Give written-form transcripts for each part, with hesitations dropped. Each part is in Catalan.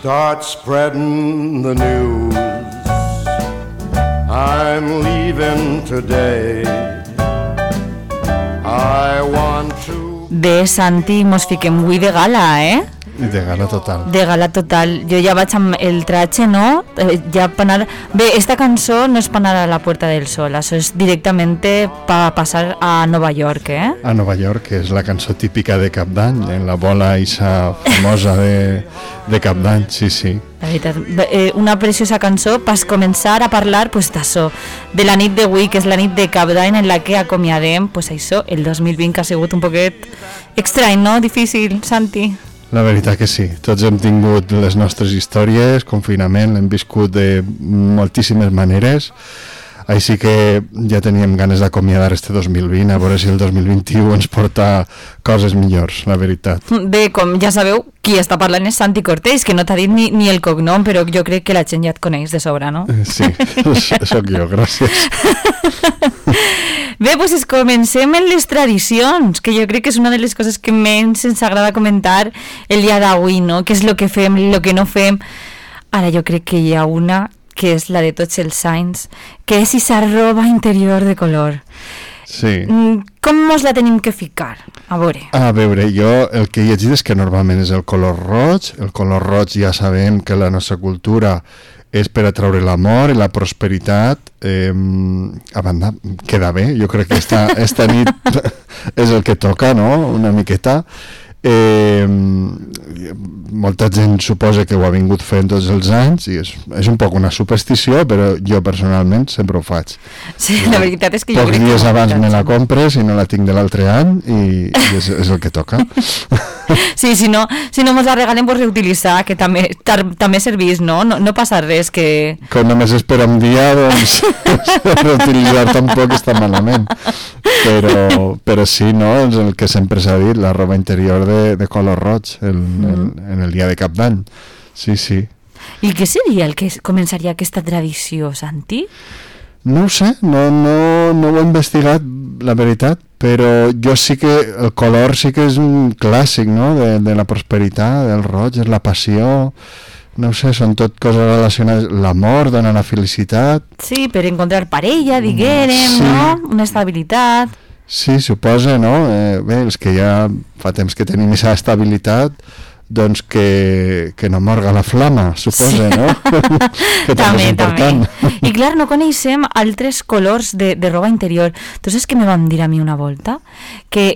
Start spreading the news. I'm leaving today. I want to... Bé, Santi, mos fiquem avui de gala, De gala total. De gala total. Jo ja vaig amb el traje, no? Ja per anar... Bé, esta cançó no és per anar a la Puerta del Sol, això és directament per passar a Nova York, A Nova York, que és la cançó típica de Cap d'Any, en la bola eixa famosa de Cap d'Any, sí. La veritat, una preciosa cançó per començar a parlar pues, d'això, de la nit d'avui, que és la nit de Cap d'Any en la que acomiadem pues, això, el 2020, que ha sigut un poquet estrany, no? Difícil, Santi. La veritat que sí, tots hem tingut les nostres històries, confinament, l'hem viscut de moltíssimes maneres, així que ja teníem ganes d'acomiadar este 2020, a veure si el 2021 ens porta coses millors, la veritat. Bé, com ja sabeu, qui està parlant és Santi Cortés, que no t'ha dit ni el cognom, però jo crec que la gent ja et coneix de sobra, no? Sí, sóc jo, gràcies. Bé, doncs comencem en les tradicions, que jo crec que és una de les coses que menys ens agrada comentar el dia d'avui, no? Què és el que fem, el que no fem. Ara jo crec que hi ha una que és la de tots els anys, que és esa roba interior de color. Sí. Com mos la tenim que ficar? A veure, jo el que he llegit és que normalment és el color roig. El color roig ja sabem que la nostra cultura és per atraure l'amor i la prosperitat. A banda, queda bé, jo crec que esta nit és el que toca, no?, una miqueta. Molta gent suposa que ho ha vingut fent tots els anys i és un poc una superstició, però jo personalment sempre ho faig. Sí, la veritat és que jo crec que... Pocs dies abans me la compres i no la tinc de l'altre any i és el que toca. Sí, si no mos la regalem, pues reutilitzar, que també servís, no? No passa res, que... Com només és per un dia, doncs reutilitzar tampoc està malament. Però sí, no? És el que sempre s'ha dit, la roba interior de color roig en el dia de Cap d'Any. Sí. I què seria el que començaria aquesta tradició, Santi? No ho sé, no ho he investigat, la veritat, però jo sí que el color sí que és un clàssic, no?, de la prosperitat, del roig, és la passió, no ho sé, són tot coses relacionades, l'amor dona la felicitat. Sí, per encontrar parella, diguérem, sí. No?, una estabilitat. Sí, suposa, no?, bé, els que ja fa temps que tenim aquesta estabilitat, doncs que no morga la flama, suposa, sí. No? Que també és important. I clar, no coneixem altres colors de roba interior. Tu saps què me van dir a mi una volta? Que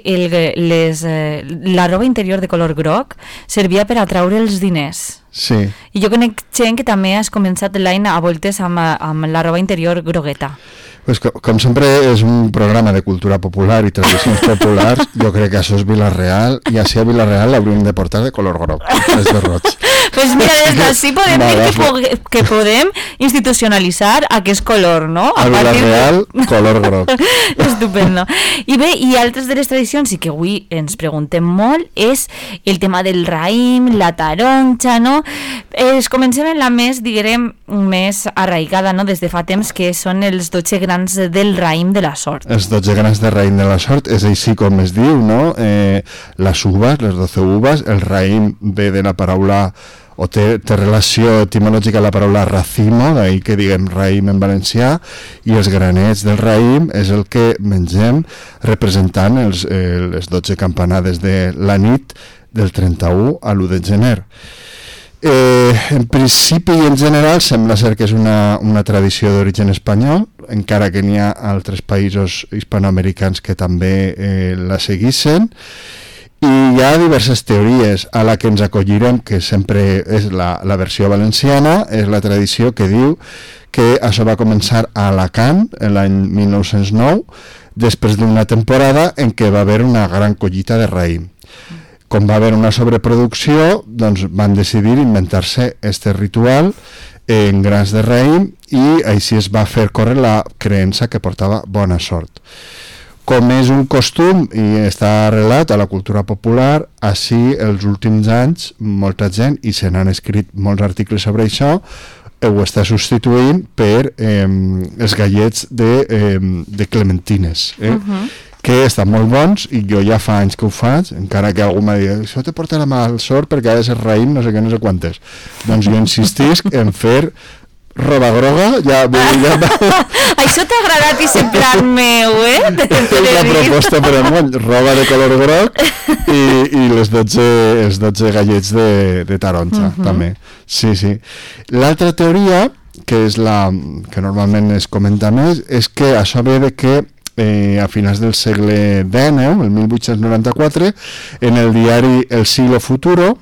la roba interior de color groc servia per atraure els diners. Sí. I jo conec gent que també has començat l'any a voltes amb la roba interior grogueta. Pues com sempre és un programa de cultura popular i tradicions populars, jo crec que això és Vila-real, i així a Vila-real l'hauríem de portar de color groc, és de roig. Pues mira, des d'ací podem dir que podem institucionalitzar aquest color, no? A Vila-real, color groc. Estupendo. I bé, i altres de les tradicions, i que avui ens preguntem molt, és el tema del raïm, la taronja, no? Comencem en la més, diguem, més arraigada, no?, des de fa temps, que són els 12 grans del raïm de la sort. Els 12 grans del raïm de la sort, és així com es diu, no? Les uvas, les 12 uvas, el raïm ve de la paraula, o té relació etimològica a la paraula racimo, d'ahir que diguem raïm en valencià, i els granets del raïm és el que mengem representant les 12 campanades de la nit del 31 a l'1 de gener. En principi i en general sembla ser que és una tradició d'origen espanyol, encara que n'hi ha altres països hispanoamericans que també la seguissin, i hi ha diverses teories. A la que ens acollirem, que sempre és la versió valenciana, és la tradició que diu que això va començar a Alacant l'any 1909, després d'una temporada en què va haver una gran collita de raïm. Com va haver una sobreproducció, doncs van decidir inventar-se este ritual en grans de raïm i així es va fer córrer la creença que portava bona sort. Com és un costum i està arrelat a la cultura popular, així els últims anys molta gent, i se n'han escrit molts articles sobre això, ho està substituint per els gallets de clementines. que estan molt bons i jo ja fa anys que ho faig, encara que algú m'ha dit això te porta la mal sort perquè ha de ser raïm no sé què, no sé quantes. Doncs jo insistisc en fer roba groga, Això t'ha agradat i ser plan meu, la proposta per amunt, roba de color groc i els 12 gallets de taronja, també. Sí. L'altra teoria, que és la que normalment es comenta més, és que això ve de que a finals del segle XIX, el 1894, en el diari El Siglo Futuro,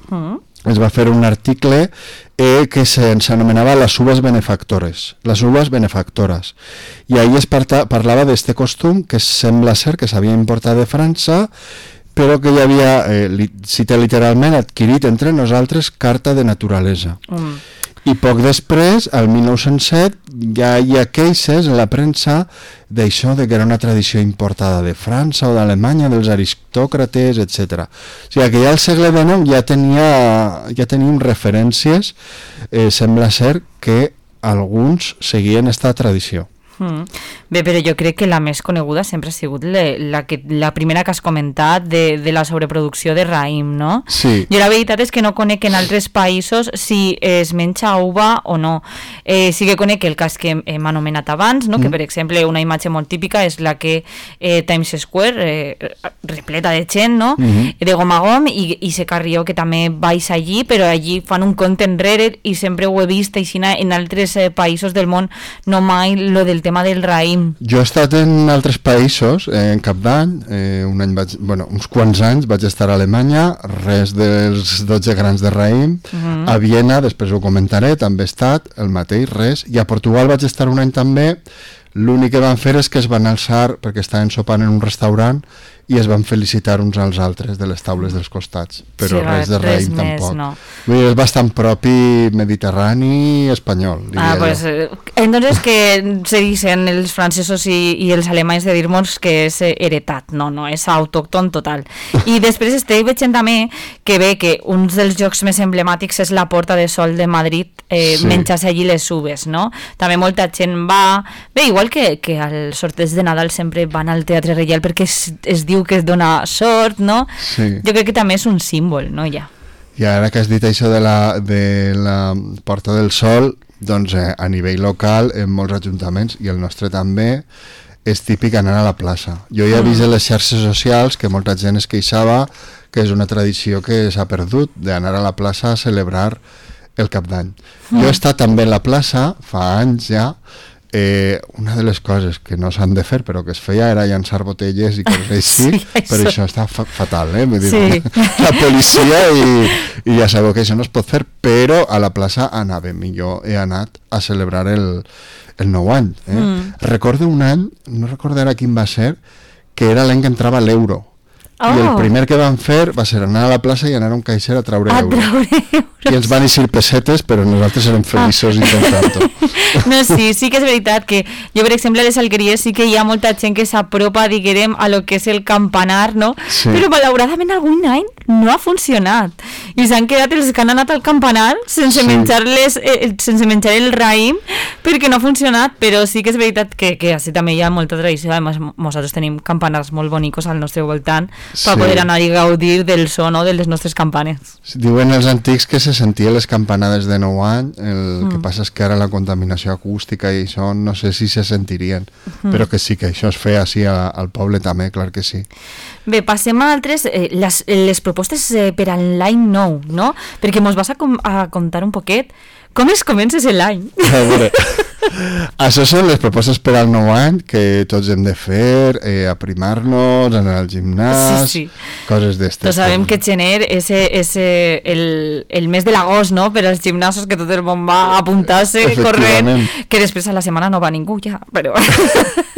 es va fer un article que s'anomenava les uvas benefactores, les uvas benefactores. I ahí es parlava d'este costum que sembla ser que s'havia importat de França, però que ja havia, cita literalment, adquirit entre nosaltres carta de naturalesa. I poc després, al 1907, ja hi ha queixes en la premsa d'això, de que era una tradició importada de França o d'Alemanya, dels aristòcrates, etc. O sigui que ja al segle XIX ja teníem referències, sembla ser que alguns seguien esta tradició. Bé, però jo crec que la més coneguda sempre ha sigut la primera que has comentat de la sobreproducció de raïm, no? Sí. Jo la veritat és que no conec en altres països si es menja uva o no. Sí que conec el cas que hem anomenat abans, no? Que per exemple una imatge molt típica és la que Times Square, repleta de gent, no? De gom a gom, i sé Carrió que també baix allí, però allí fan un compte enrere i sempre ho he vist així en altres països del món, no mai lo del tema del raïm. Jo he estat en altres països, en cap d'any, uns quants anys vaig estar a Alemanya, res dels 12 grans de raïm, a Viena, després ho comentaré, també he estat, el mateix, res, i a Portugal vaig estar un any també. L'únic que van fer és que es van alçar, perquè estaven sopant en un restaurant, i es van felicitar uns als altres de les taules dels costats, però sí, res de raïm tampoc. No. Vull dir, és bastant propi mediterrani espanyol, diria pues, entonces que se dicen els francesos i els alemanys de dir-nos que és heretat, no, és autòcton total. I després estic veient també que ve que un dels jocs més emblemàtics és la Porta de Sol de Madrid, menjar-se allí les uves, no? També molta gent va... Bé, igual que al sorteig de Nadal sempre van al Teatre Reial perquè es diu que es dona sort, no? Sí. Jo crec que també és un símbol, no? Ja. I ara que has dit això de la Porta del Sol, doncs a nivell local, en molts ajuntaments, i el nostre també, és típic anar a la plaça. Jo ja he vist en les xarxes socials que molta gent es queixava que és una tradició que s'ha perdut, d'anar a la plaça a celebrar el Cap d'Any. Jo he estat també a la plaça, fa anys ja. Una de les coses que no s'han de fer però que es feia era llançar botelles i coses així, però això està fatal, vull dir, la policia i ja sabeu que això no es pot fer, però a la plaça anàvem i jo he anat a celebrar el nou any. Recordo un any, no recordaré quin va ser, que era l'any que entrava l'euro. I el primer que van fer va ser anar a la plaça i anar a un caixer a treure euros. I ens van eixir pessetes, però nosaltres érem feliços intentant-ho. No, sí que és veritat que jo, per exemple, a les Alqueries sí que hi ha molta gent que s'apropa, diguem, a lo que és el campanar, no? Sí. Però malauradament algun any no ha funcionat. I s'han quedat els que han anat al campanar sense menjar el raïm perquè no ha funcionat, però sí que és veritat que així també hi ha molta tradició. A més, nosaltres tenim campanars molt bonicos al nostre voltant per poder anar i gaudir del so, no?, de les nostres campanes. Diuen els antics que se sentien les campanades de nou any, el que passa és que ara la contaminació acústica i això no sé si se sentirien, però que sí, que això es feia així al poble també, clar que sí. Bé, passem a altres, les propostes per a l'any nou, no? Perquè mos vas a contar un poquet com es comences l'any. A veure, això són les propostes per al nou any que tots hem de fer, aprimar-nos, anar al gimnàs, coses d'estes. Tots sabem que gener és el mes de l'agost, no?, per als gimnasos, que tot el món va a apuntar-se corrent, que després a la setmana no va ningú ja, però...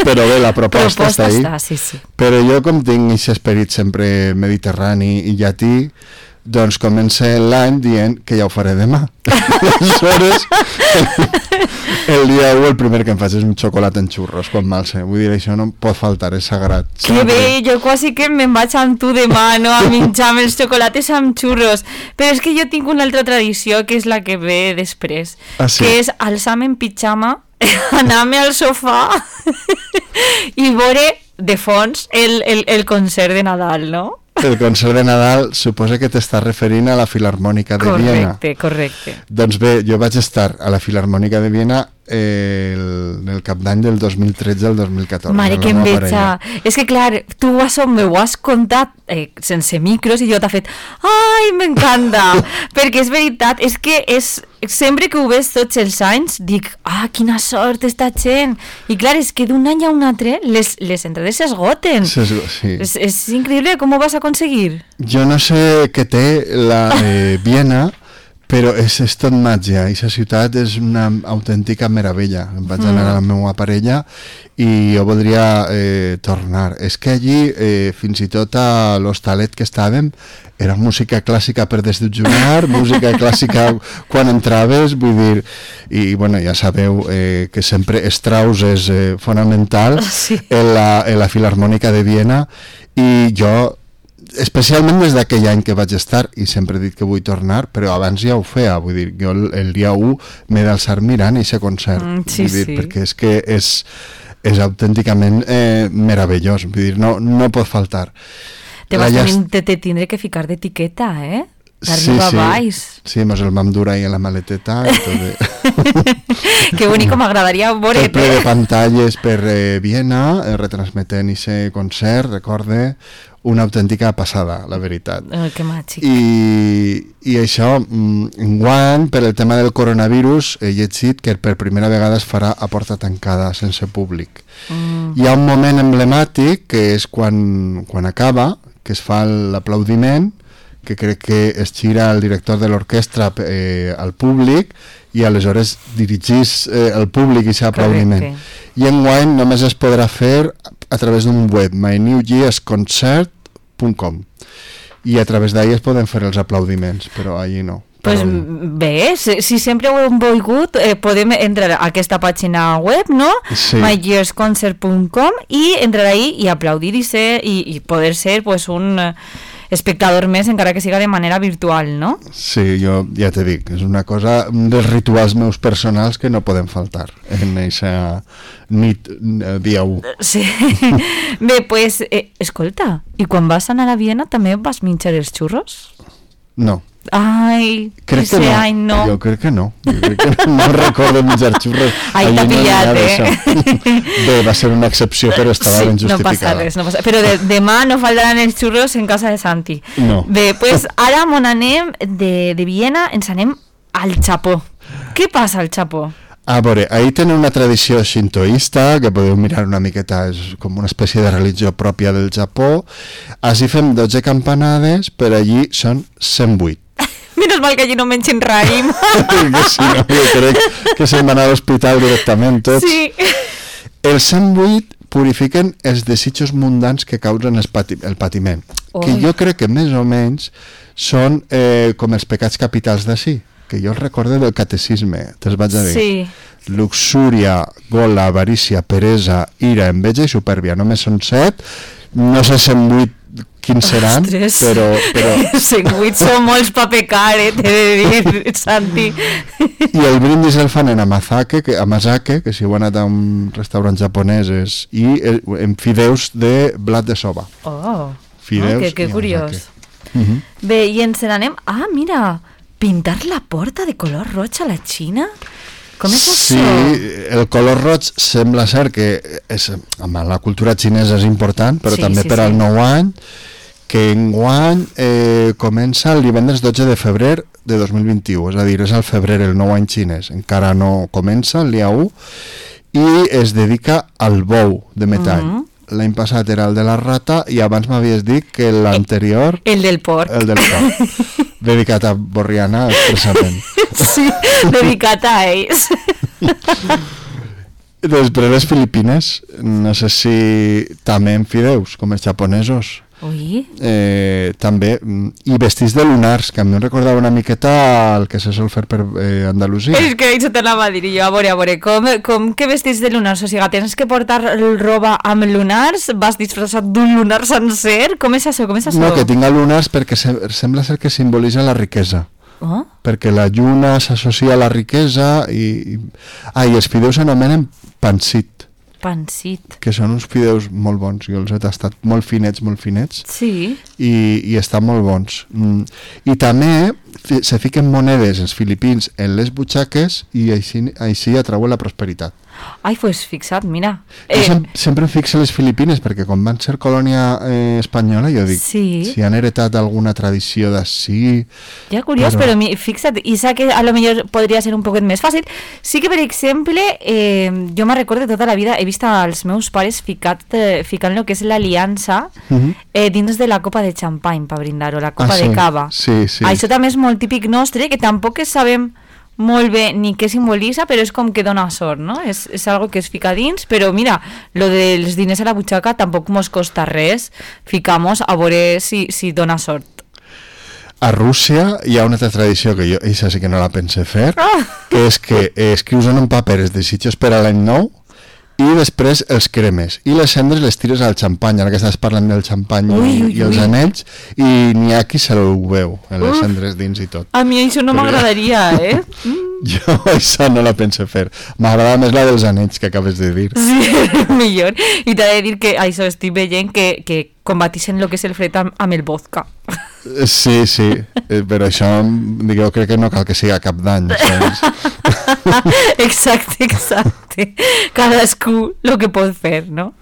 Però bé, la proposta està ahí. Sí. Però jo, com tinc aquest esperit sempre mediterrani i llatí, doncs comença l'any dient que ja ho faré demà. Aleshores, el dia 1 el primer que em faig és un xocolat en xurros quan m'alce. Vull dir, això no pot faltar, és sagrat. Que bé, jo quasi que me'n vaig amb tu demà, no?, a menjar els xocolates amb xurros. Però és que jo tinc una altra tradició que és la que ve després, que és alçar-me en pitjama, anar-me al sofà i veure de fons el concert de Nadal, no? El concert de Nadal suposa que t'estàs referint a la Filarmònica de Viena. Correcte. Doncs bé, jo vaig estar a la Filarmònica de Viena el cap d'any del 2013 al 2014. Mare, que enveja. És que clar, tu m'ho has contat sense micros i jo t'ha fet ai, m'encanta, perquè és veritat, és que sempre que ho ves tots els anys dic, quina sort esta gent, i clar, és que d'un any a un altre les entrades s'esgoten. Sí. És increïble, com ho vas aconseguir? Jo no sé què té la Viena, però és tot màgia, i la ciutat és una autèntica meravella. Em vaig anar a la meva parella i jo voldria tornar. És que allí, fins i tot a l'hostalet que estàvem, era música clàssica per desdejunar, música clàssica quan entraves, vull dir, i bueno, ja sabeu que sempre Strauss és fonamental en la Filarmònica de Viena, i jo especialment des d'aquell any que vaig estar, i sempre he dit que vull tornar, però abans ja ho feia, vull dir, jo el dia 1 m'he d'alçar mirant aquest concert, vull dir, perquè és que és autènticament meravellós, vull dir, no pot faltar. Te tindré que ficar d'etiqueta, d'arriba a baix. Sí, mos el vam dur ahí en la maleteta i tot. Que bonic, m'agradaria veure. El ple de pantalles per Viena, retransmetent aquest concert, recorde, una autèntica passada, la veritat. Que màgic. I això, enguany, per el tema del coronavirus, he llegit que per primera vegada es farà a porta tancada, sense públic. Hi ha un moment emblemàtic, que és quan acaba, que es fa l'aplaudiment, que crec que es gira el director de l'orquestra al públic i aleshores dirigís el públic i aquest aplaudiment. I enguany només es podrà fer a través d'un web, mynewyearsconcert.com, i a través d'ahí es poden fer els aplaudiments, però allí no. Pues bé, si sempre ho hem volgut, podem entrar a aquesta pàgina web, no? Sí. myyearsconcert.com, i entrar ahí i aplaudir i poder ser pues, un espectador més, encara que siga de manera virtual, no? Sí, jo ja t'he dit, és una cosa, un dels rituals meus personals que no poden faltar en aquesta nit dia 1. Sí. Bé, pues, escolta, i quan vas anar a Viena també vas menjar els xurros? No. Ai, crec que no. Any no. Jo crec que no. No recordo menjar xurros. Ai, t'ha pillat, Bé, va ser una excepció, però estava ben justificada. No passa res. Però demà no faltaran els xurros en casa de Santi. No. Bé, pues ara on anem de Viena, ens anem al Japó. Què passa al Japó? A veure, ahí tenen una tradició shintoista, que podeu mirar una miqueta, és com una espècie de religió pròpia del Japó. Així fem 12 campanades, per allí són 108. Menos mal que allí no mengen raïm. Sí, no, jo crec que se'n van a l'hospital directament tots. Sí. Els 108 purifiquen els desitjos mundans que causen el patiment, que jo crec que més o menys són com els pecats capitals d'ací, que jo els recorde del catecisme, te'ls vaig a dir. Sí. Luxúria, gola, avarícia, peresa, ira, enveja i supèrbia. Només són 7, no sé 108 quins seran, però 108 són molts pa pecar, t'he de dir, Santi. I el brindis el fan en amazake, que si heu anat a un restaurant japonesos, i en fideus de blat de soba. Fideus que curiós. Uh-huh. Bé, i ens n'anem... mira, pintar la porta de color roig a la Xina? Com és això? Sí, el color roig sembla ser que la cultura xinesa és important, però també per al nou any, que enguany comença el divendres 12 de febrer de 2021, és a dir, és al febrer el nou any xinès, encara no comença el dia 1, i es dedica al bou de metall. L'any passat era el de la rata i abans m'havies dit que l'anterior... El del porc. El del porc. Dedicat a Borriana, expressament. Sí, dedicat a ells. Després les Filipines, no sé si també en fideus, com els japonesos. Ui. També, i vestits de lunars, que a mi em recordava una miqueta el que se sol fer per Andalusia. És que això te l'anava a dir jo, a veure, com que vestits de lunars? O sigui, tens que portar roba amb lunars? Vas disfressat d'un lunar sencer? Com és això? No, que tinga lunars perquè sembla ser que simbolitza la riquesa. Perquè la lluna s'associa a la riquesa i els fideus s'anomenen pancit. Pancit. que són uns fideus molt bons. Jo els he tastat molt finets, Sí. i estan molt bons. I també se fiquen monedes els filipins en les butxaques i així atrauen la prosperitat. Ai, pues fixa't, mira. Jo sempre em fixo les Filipines perquè quan van ser colònia espanyola jo dic, Sí. si han heretat alguna tradició d'ací... Ja curiós, però fixa't, i sé que a lo millor podria ser un poquet més fàcil. Sí que, per exemple, jo me'n recordo tota la vida, he vist als meus pares ficant lo que és l'aliança dins de la copa de xampany per brindar, o la copa de cava. Sí, sí. Això també és molt típic nostre, que tampoc sabem molt bé ni què simbolitza, però és com que dona sort, no? És algo que es fica dins, però mira, lo dels diners a la butxaca tampoc mos costa res, ficamos a veure si dona sort. A Rússia hi ha una altra tradició que jo, això sí que no la pense fer, que és que escrius en un paper els desitjos per a l'any nou i després els cremes i les cendres les tires al xampany. Ara que estàs parlant del xampany i els anells, i n'hi ha qui se ho veu en les cendres dins i tot. A mi això no m'agradaria, Jo això no la pense fer. M'agrada més la dels anells que acabes de dir. Sí, millor. I t'he de dir que això estic veient que combatixen el que és el fred amb el vodka. Sí, però això jo crec que no cal que siga cap d'any. Exacte. Cadascú el que pot fer, no?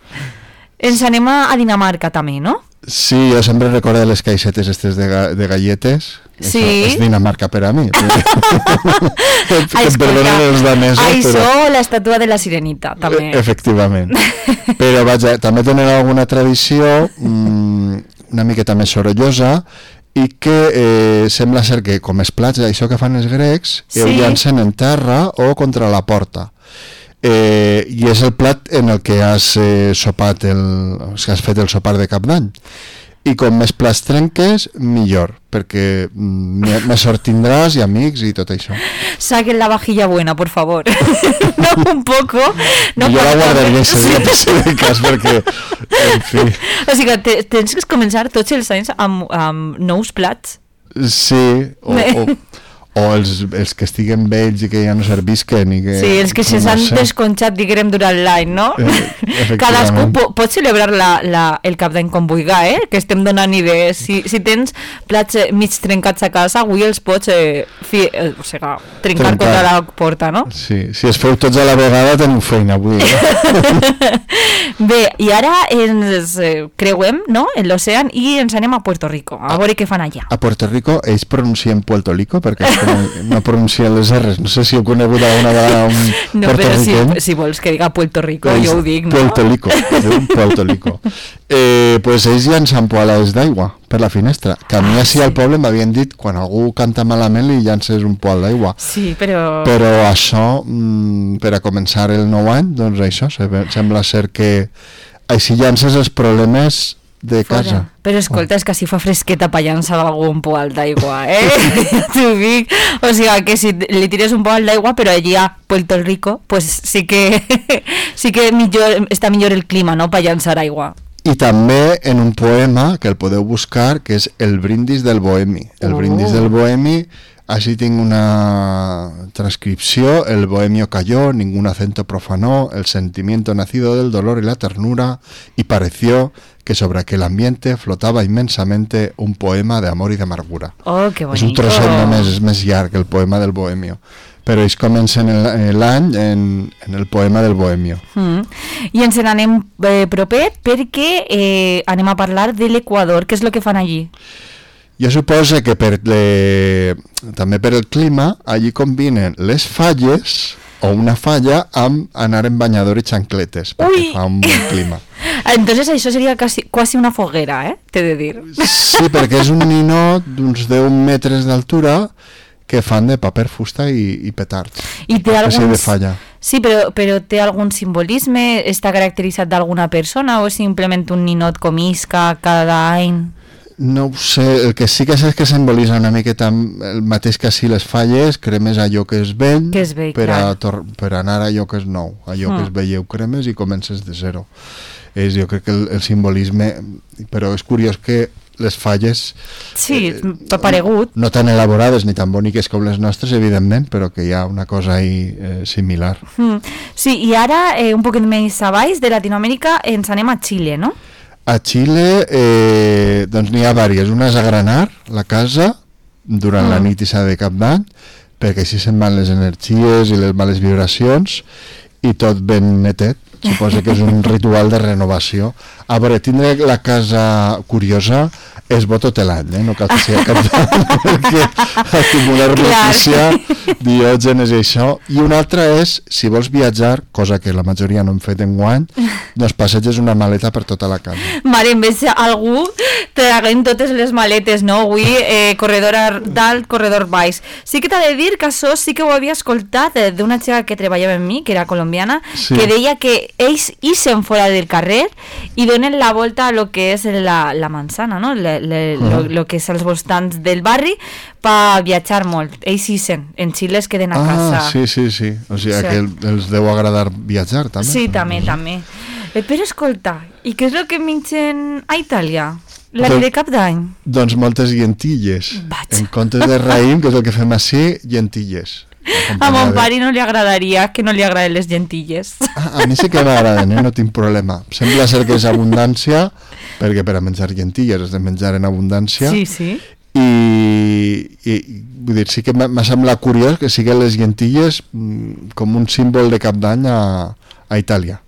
Ens anem a Dinamarca també, no? Sí, jo sempre recordo les caixetes estes de galletes. Sí. Això és Dinamarca per a mi. Perdonen els danesos, això, l'estàtua de la sirenita, també. Efectivament. Però vaja, també tenen alguna tradició una miqueta més sorollosa i que sembla ser que, com els plats, això que fan els grecs, ho llancen en terra o contra la porta. I és el plat en el que has sopat que has fet el sopar de cap d'any, i com més plats trenques millor, perquè més sort tindràs i amics i tot això. Saquen la vajilla buena, por favor. No, un poco. No, jo la guardaria si de cas, perquè en fi. O sigui, tens que començar tots els anys amb nous plats. Sí, o els que estiguen vells i que ja no servisquen i que, sí, els que s'han desconxat, diguem, durant l'any, no? Cadascú pot celebrar el cap d'any com vulgui, que estem donant idees. Si tens plats mig trencats a casa, avui els pots trencar contra la porta, no? Sí, si es feu tots a la vegada teniu feina avui. Bé, i ara ens creuem, no?, en l'ocean i ens anem a Puerto Rico, a veure què fan allà. A Puerto Rico ells pronuncien Puerto Rico perquè no pronuncien les R's. No sé si heu conegut alguna vegada un puertorriqueny. No, si vols que diga Puerto Rico, jo ho dic, no? Puerto Rico. Pues ells llancen poalades d'aigua per la finestra. Que a mi així al poble m'havien dit quan algú canta malament li llances un poal d'aigua. Sí, però això, per a començar el nou any, doncs això, sembla ser que així llances els problemes de casa. Però escolta, és que si fa fresqueta pa llançar algun poal d'aigua, ja t'ho dic. O sigui, que si li tires un poal d'aigua, però allí a Puerto Rico, pues sí que està millor el clima, no?, pa llançar aigua. I també en un poema que el podeu buscar, que és El brindis del bohemi. El brindis del bohemi, així tinc una transcripció: el bohemio cayó, ningún acento profanó, el sentimiento nacido del dolor y la ternura, y pareció que sobre aquel ambiente flotaba inmensamente un poema de amor y de amargura. Oh, que bonito. És un trosset més llarg, el poema del bohemio. Però ells comencen l'any en el poema del bohemio. I ens n'anem propet perquè anem a parlar de l'Equador. Què és el que fan allí? Jo suposo que també per el clima allí combinen les falles o una falla amb anar en banyador i xancletes, perquè fa un bon clima. Entonces això seria quasi una foguera, t'he de dir. Sí, perquè és un ninot d'uns 10 metres d'altura que fan de paper, fusta i petards. I té de falla. Sí, però té algun simbolisme? Està caracteritzat d'alguna persona o simplement un ninot com isca cada any? No ho sé, el que sí que sé és que simbolitza una miqueta el mateix que així les falles, cremes allò que és vell, per anar a allò que és nou, allò que és vell ho cremes i comences de zero. Jo crec que el simbolisme, però és curiós que les falles Sí, paregut. no tan elaborades ni tan boniques com les nostres, evidentment, però que hi ha una cosa ahí similar. Sí, i ara, un poquet més a baix de Latinoamèrica, ens anem a Xile, no? A Xile doncs n'hi ha diverses. Una és agranar la casa durant la nit i de Cap d'Any, perquè així se'n van les energies i les males vibracions i tot ben netet. Suposo que és un ritual de renovació. A veure, tindre la casa curiosa és bo tot l'any, no cal que sigui Cap d'Any, perquè acumular notícia, diògenes i això. I una altra és, si vols viatjar, cosa que la majoria no hem fet enguany, doncs passeges una maleta per tota la casa. Mare, en vez de algú traguem totes les maletes, no? Avui, corredor dalt, corredor baix. Sí que t'ha de dir que això sí que ho havia escoltat d'una xica que treballava amb mi, que era colombiana, Sí. que deia que ells ixen fora del carrer i donen la volta a lo que és la manzana, no? Lo que és els voltants del barri per viatjar molt. Ells ixen, en Xile es queden a casa. Sí. O sigui, Sí. que els deu agradar viatjar, també. Sí, també. Però escolta, i què és el que mengen a Itàlia? La Doncs- de Cap d'Any? Doncs moltes llentilles. Vaig. En comptes de raïm, que és el que fem així, llentilles. A mon pare no li agradaria que no li agraden les llentilles. A mi sí que m'agraden, no tinc problema. Sembla ser que és abundància, perquè per a menjar llentilles has de menjar en abundància. Sí. I vull dir, sí que m'ha semblat curiós que siguin les llentilles com un símbol de Cap d'Any a Itàlia.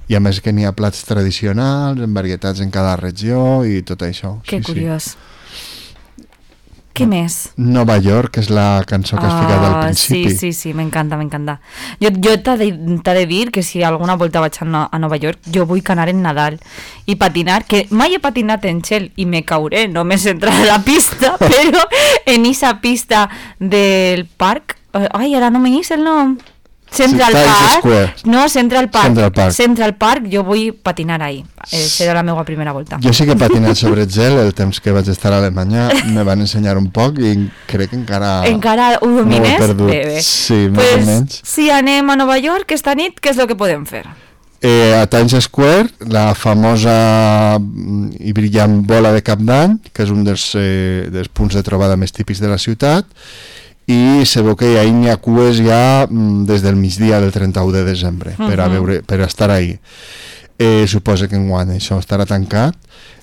I a més que n'hi ha plats tradicionals, en varietats en cada regió i tot això. Que curiós. Què més? Nova York, que és la cançó que has ficat al principi. Sí, m'encanta. Jo t'ha de dir que si alguna volta vaig a Nova York, jo vull anar en Nadal i patinar, que mai he patinat en gel i me cauré, només entrar a la pista, però en esa pista del parc, ara no me el nom. Central Times Park. Square. No, Central Park. Central Park. Jo vull patinar ahí. Serà la meva primera volta. Jo sí que he patinat sobre gel el temps que vaig estar a Alemanya, me van ensenyar un poc i crec que encara ho domines? no ho he perdut. Bé. Sí, Pues, més o menys. si anem a Nova York esta nit, què és el que podem fer? A Times Square, la famosa i brillant bola de Cap d'Any, que és un dels punts de trobada més típics de la ciutat, i se veu que n'hi ha cues ja des del migdia del 31 de desembre per estar ahí. Suposa que enguany això estarà tancat.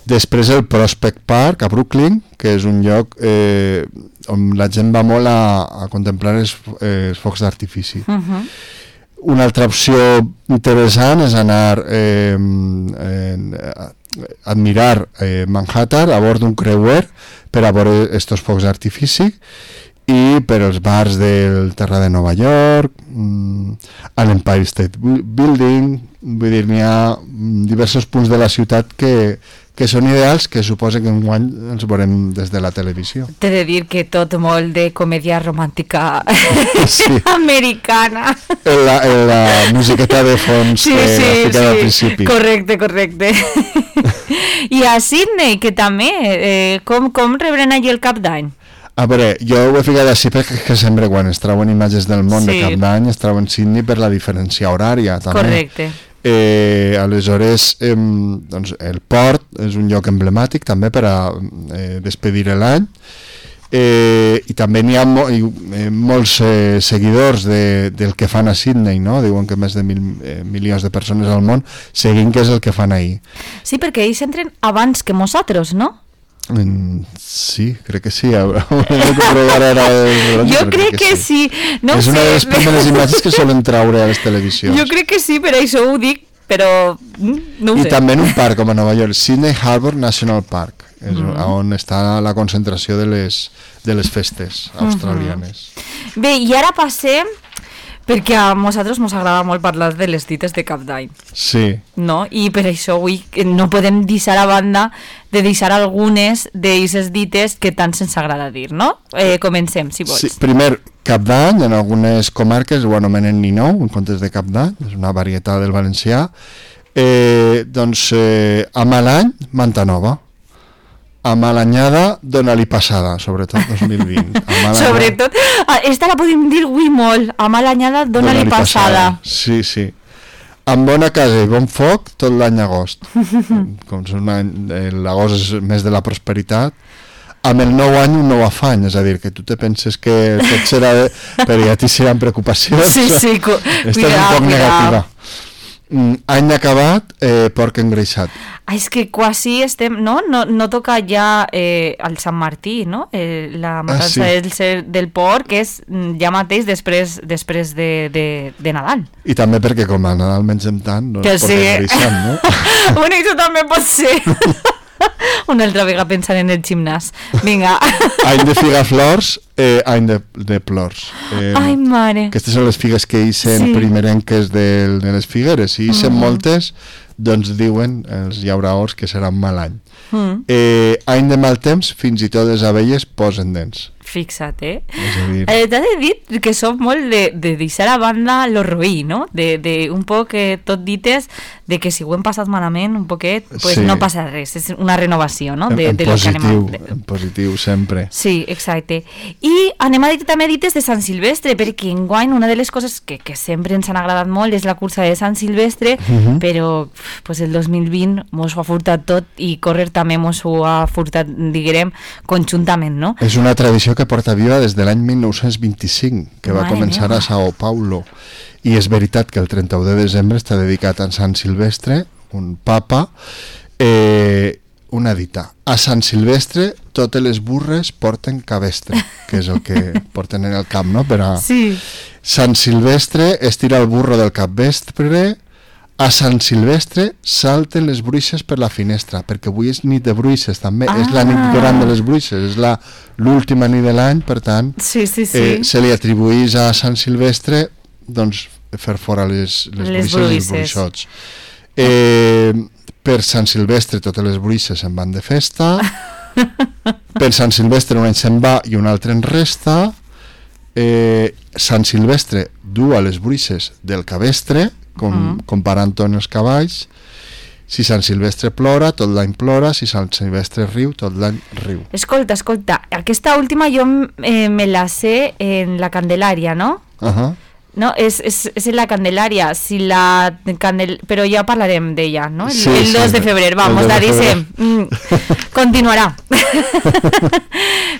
Després el Prospect Park a Brooklyn, que és un lloc on la gent va molt a contemplar els focs d'artifici. Una altra opció interessant és anar a admirar Manhattan a bord d'un creuer per a veure estos focs d'artifici, i per als bars del Terra de Nova York, a l'Empire State Building, vull dir, n'hi ha diversos punts de la ciutat que són ideals, que suposa que enguany els veurem des de la televisió. T'he de dir que tot molt de comèdia romàntica Sí. americana. La musiqueta de fons que ha ficat al principi. Correcte. I a Sydney, que també, com rebren allí el Cap d'Any? A veure, jo ho he ficat així perquè que sempre quan es treuen imatges del món de Cap d'Any es treuen Sydney per la diferència horària també. Correcte. Aleshores doncs, el port és un lloc emblemàtic també per a despedir l'any, i també n'hi ha molts seguidors del que fan a Sydney, no? Diuen que més de 1.000 milions de persones al món seguint què és el que fan ahir. Sí, perquè ells entren abans que nosaltres, no? Sí, crec que sí. Jo crec que sí. No és una de les primeres imatges que solen traure a les televisions. Jo crec que sí, per això ho dic, però no ho sé. I també en un parc com a Nova York, Sydney Harbour National Park, és on està la concentració de les festes australianes. Bé, i ara passem, perquè a nosaltres ens agrada molt parlar de les dites de Cap d'Any. Sí. No? I per això avui no podem deixar a banda de deixar algunes d'aquestes dites que tant se'ns agrada dir, no? Comencem, si vols. Sí, primer, Cap d'Any, en algunes comarques ho anomenen Ninou, en comptes de Cap d'Any, és una varietat del valencià. Doncs, a mal any, manta nova. A mal anyada, dona-li passada, sobretot 2020. Sobretot, esta la podem dir avui molt, a mal anyada, dona-li passada. Sí. Amb bona casa i bon foc, tot l'any agost. Com és l'agost és mes de la prosperitat, amb el nou any un nou afany, és a dir, que tu te penses que tot serà però ja t'hi seran preocupacions. Sí, Esta és un poc negativa. Any acabat, porc engreixat. És que quasi estem, no toca ja el Sant Martí, no? La matança del porc és ja mateix després de Nadal. I també perquè com a Nadal mengem tant, no es porc engreixat, no? Bueno, això també pot ser. Una altra vegada pensant en el gimnàs. Vinga. Any de figaflors, any de plors. Ai, mare. Aquestes són les figues que ixen primerenques de les figueres. Si ixen moltes, doncs diuen els llauraors que serà un mal any. Any de mal temps, fins i tot les abelles posen dents. Fixa't, T'he de dir que som molt de deixar a banda lo roí, no? De un poc tot dites de que si ho hem passat malament un poquet, pues no passa res, és una renovació, no? En positiu, sempre. Sí, exacte. I anem a dir també dites de Sant Silvestre, perquè enguany una de les coses que sempre ens han agradat molt és la cursa de Sant Silvestre, però pues el 2020 mos ho ha furtat tot i córrer també mos ho ha furtat, diguem, conjuntament, no? És una tradició que porta viva des de l'any 1925, que va començar a Sao Paulo. I és veritat que el 31 de desembre està dedicat a Sant Silvestre, un papa, una dita. A Sant Silvestre totes les burres porten cabestre, que és el que porten en el camp, no? Per a... Sí. Sant Silvestre estira el burro del capvespre. A Sant Silvestre salten les bruixes per la finestra, perquè avui és nit de bruixes també, és la nit gran de les bruixes, és l'última nit de l'any, per tant se li atribuïs a Sant Silvestre doncs fer fora les bruixes i els bruixots. Per Sant Silvestre totes les bruixes se'n van de festa, per Sant Silvestre un any se'n va i un altre en resta. Sant Silvestre du a les bruixes del cabestre, comparant-ho amb els cavalls. Si Sant Silvestre plora, tot l'any plora. Si Sant Silvestre riu, tot l'any riu. Escolta, aquesta última jo me la sé en la Candelària, no? No, és en la Candelària, però ja parlarem d'ella, no? El 2 de febrer, vamos, claríssim. Continuarà.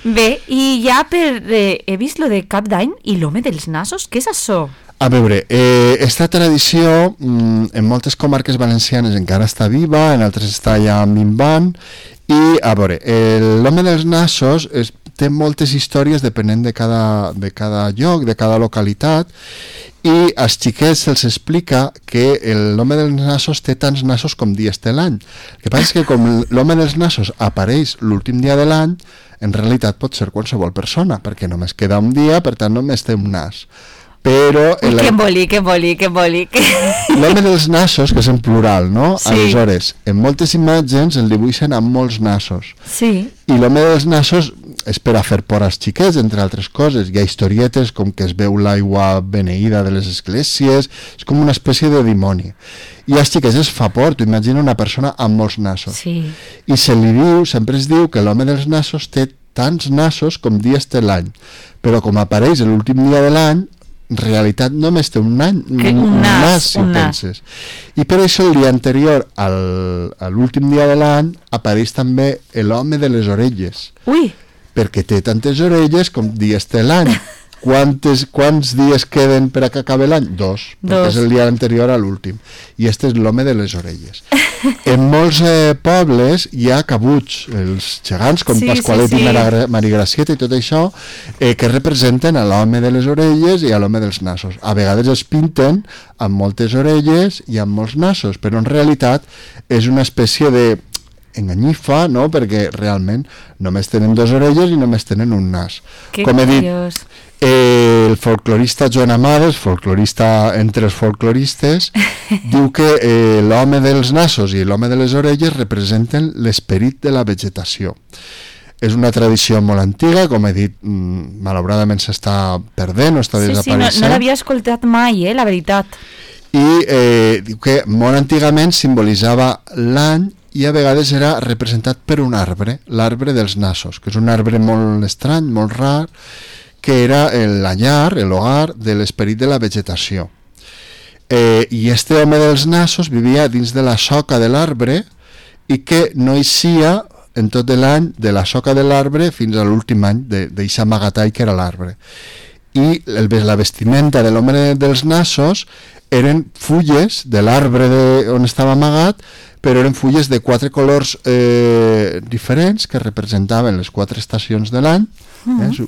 Bé, i ja he vist lo de Cap d'Any i l'home dels nassos, què és això? A veure, esta tradició en moltes comarques valencianes encara està viva, en altres està ja minvant, i a veure, l'home dels nassos té moltes històries depenent de cada lloc, de cada localitat, i als xiquets se'ls explica que l'home dels nassos té tants nassos com dies té l'any. El que passa és que com l'home dels nassos apareix l'últim dia de l'any, en realitat pot ser qualsevol persona, perquè només queda un dia, per tant només té un nas. Però... Que embolic. L'home dels nassos, que és en plural, no? Sí. Aleshores, en moltes imatges el dibuixen amb molts nassos. Sí. I l'home dels nassos és per a fer por als xiquets, entre altres coses. Hi ha historietes com que es veu l'aigua beneïda de les esglésies, és com una espècie de dimoni. I als xiquets es fa por, tu imagina una persona amb molts nassos. Sí. I sempre es diu que l'home dels nassos té tants nassos com dies té l'any. Però com apareix l'últim dia de l'any, en realitat només té un nas, si ho penses. I per això el dia anterior a l'últim dia de l'any apareix també l'home de les orelles. Ui! Perquè té tantes orelles com dies té l'any. Quants dies queden per a que acabi l'any? 2, perquè és el dia anterior a l'últim. I este és l'home de les orelles. En molts pobles hi ha cabuts, els gegants com Pasqualet i Marigracieta i tot això, que representen a l'home de les orelles i a l'home dels nassos. A vegades els pinten amb moltes orelles i amb molts nassos, però en realitat és una espècie de enganyifa, no? Perquè realment només tenen 2 orelles i només tenen un nas. Com he dit, el folclorista Joan Amades, folclorista entre els folcloristes, diu que l'home dels nassos i l'home de les orelles representen l'esperit de la vegetació. És una tradició molt antiga, com he dit, malauradament s'està perdent o està desapareixent. Sí, no l'havia escoltat mai, la veritat. I diu que molt antigament simbolitzava l'any i a vegades era representat per un arbre, l'arbre dels nassos, que és un arbre molt estrany, molt rar, que era la llar, l'hogar de l'esperit de la vegetació. I este home dels nassos vivia dins de la soca de l'arbre i que no eixia en tot l'any de la soca de l'arbre fins a l'últim any d'eixa amagatall que era l'arbre. I la vestimenta de l'home dels nassos eren fulles de l'arbre on estava amagat, però eren fulles de 4 colors diferents que representaven les 4 estacions de l'any.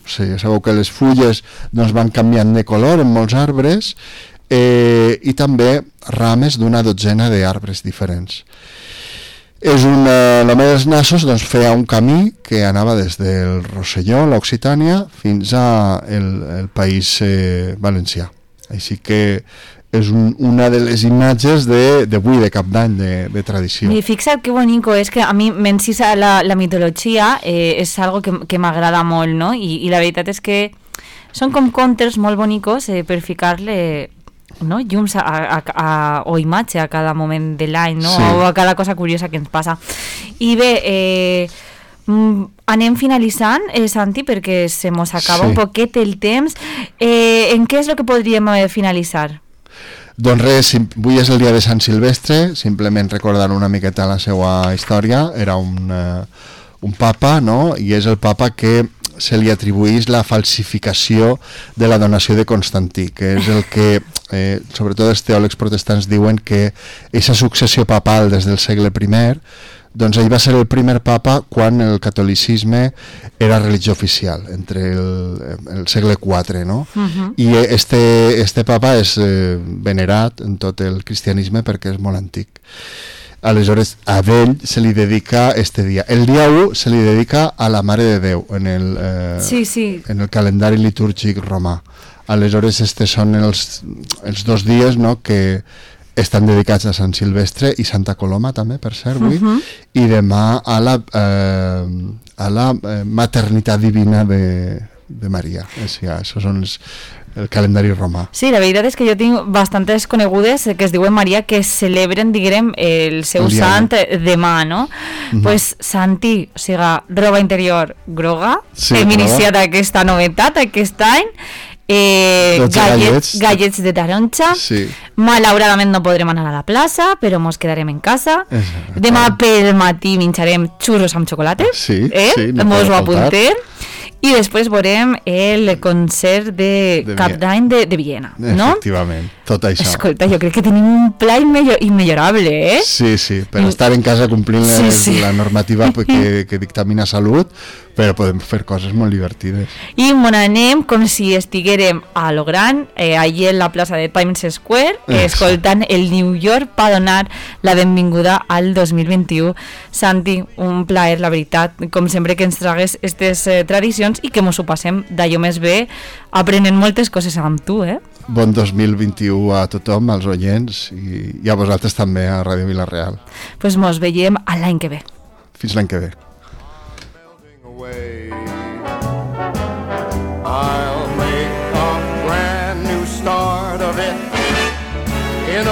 Sabeu que les fulles doncs, van canviant de color en molts arbres, i també rames d'una dotzena d'arbres diferents. L'home dels nassos doncs, feia un camí que anava des del Rosselló, l'Occitània, fins al País Valencià. Així que és una de les imatges d'avui, de Cap d'Any, de tradició. I fixa't que bonico, és que a mi m'encisa la mitologia, és algo que m'agrada molt, no? I la veritat és que són com contes molt bonicos per ficar-le, no? Llums o imatge a cada moment de l'any, no? Sí. O a cada cosa curiosa que ens passa. I bé, anem finalitzant, Santi, perquè se mos acaba un poquet el temps. En què és el que podríem finalitzar? Doncs res, avui és el dia de Sant Silvestre, simplement recordar una miqueta la seva història. Era un papa, no? I és el papa que se li atribuís la falsificació de la donació de Constantí, que és el que, sobretot els teòlegs protestants diuen que aquesta successió papal des del segle I, doncs ell va ser el primer papa quan el catolicisme era religió oficial, entre el segle IV, no? I este papa és venerat en tot el cristianisme perquè és molt antic. Aleshores, a ell se li dedica este dia. El dia 1 se li dedica a la Mare de Déu en el calendari litúrgic romà. Aleshores, estes són els 2 dies, no?, que estan dedicats a Sant Silvestre i Santa Coloma també, per cert, avui, i demà a la maternitat divina de Maria. Això són el calendari romà. Sí, la veritat és que jo tinc bastantes conegudes que es diuen Maria que celebren, diguem, el seu sant demà, no? Pues Santi, o sigui, roba interior groga, hem iniciat aquesta novetat aquest any, gallets de taronja, malauradament no podrem anar a la plaça, però mos quedarem en casa. Demà pel matí menjarem xurros amb xocolata, mos ho apuntem. I després veurem el concert de Cap d'Any de Viena, no? Efectivament, tot això. Escolta, jo crec que tenim un pla immillorable, eh? Sí, per estar en casa complint la normativa que dictamina Salut, però podem fer coses molt divertides. I anem com si estiguérem a lo gran, allí en la plaça de Times Square, escoltant el New York per donar la benvinguda al 2021. Santi, un plaer, la veritat, com sempre que ens tragues aquestes tradicions i que mos ho passem d'allò més bé, aprenent moltes coses amb tu, eh? Bon 2021 a tothom, als oients, i a vosaltres també, a Ràdio Vila-real. Pues mos veiem l'any que ve. Fins l'any que ve. I'll make a brand new start of it in